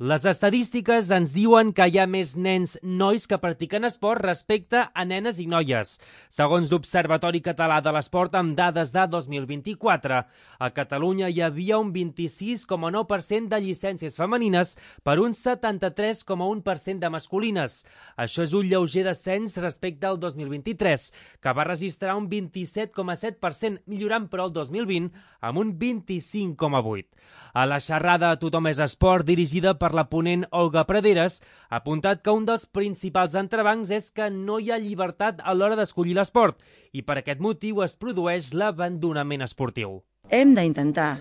Les estadístiques ens diuen que hi ha més nens nois que practiquen esport respecte a nenes i noies. Segons l'Observatori Català de l'Esport, amb dades de 2024, a Catalunya hi havia un 26,9% de llicències femenines per un 73,1% de masculines. Això és un lleuger descens respecte al 2023, que va registrar un 27,7%, millorant però el 2020 amb un 25,8%. A la xerrada Tothom és esport, dirigida per la ponent Olga Praderes, ha apuntat que un dels principals entrebancs és que no hi ha llibertat a l'hora d'escollir l'esport i per aquest motiu es produeix l'abandonament esportiu. Hem d'intentar,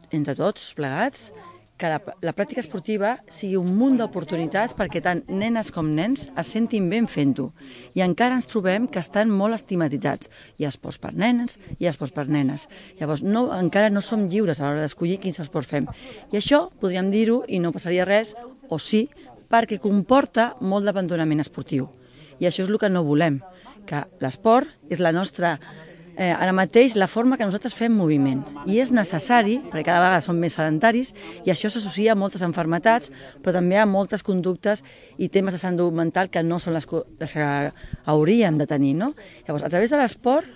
entre tots plegats, que la pràctica esportiva sigui un munt d'oportunitats perquè tant nenes com nens es sentin ben fent-ho. I encara ens trobem que estan molt estigmatitzats. Hi ha esports per nenes, hi ha esports per nenes. Llavors, encara no som lliures a l'hora d'escollir quins esports fem. I això podríem dir-ho i no passaria res, o sí, perquè comporta molt d'abandonament esportiu. I això és el que no volem, que l'esport és la nostra... ara mateix la forma que nosaltres fem moviment i és necessari, perquè cada vegada som més sedentaris i això s'associa a moltes malalties, però també a moltes conductes i temes de salut mental que no són les que hauríem de tenir, no? Llavors, a través de l'esport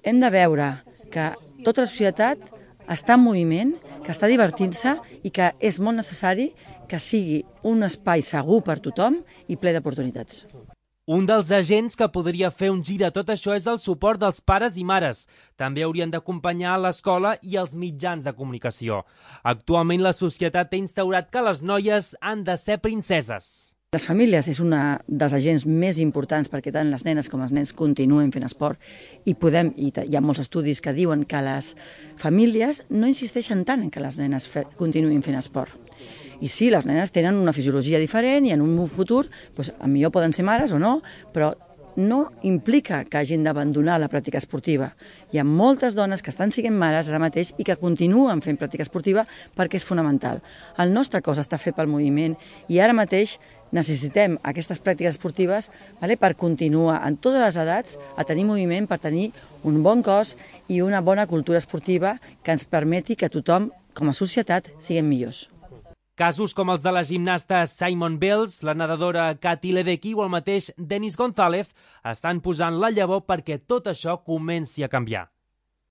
hem de veure que tota la societat està en moviment, que està divertint-se i que és molt necessari que sigui un espai segur per tothom i ple d'oportunitats. Un dels agents que podria fer un gir a tot això és el suport dels pares i mares. També haurien d'acompanyar l'escola i els mitjans de comunicació. Actualment la societat ha instaurat que les noies han de ser princeses. Les famílies és un dels agents més importants perquè tant les nenes com els nens continuen fent esport i hi ha molts estudis que diuen que les famílies no insisteixen tant en que les nenes continuïn fent esport. I sí, les nenes tenen una fisiologia diferent i en un futur, millor poden ser mares o no, però no implica que hagin d'abandonar la pràctica esportiva. Hi ha moltes dones que estan sent mares ara mateix i que continuen fent pràctica esportiva perquè és fonamental. El nostre cos està fet pel moviment i ara mateix necessitem aquestes pràctiques esportives per continuar en totes les edats a tenir moviment, per tenir un bon cos i una bona cultura esportiva que ens permeti que tothom, com a societat, siguem millors. Casos com els de la gimnasta Simone Biles, la nedadora Katy Ledecky o el mateix Denis González estan posant la llavor perquè tot això comenci a canviar.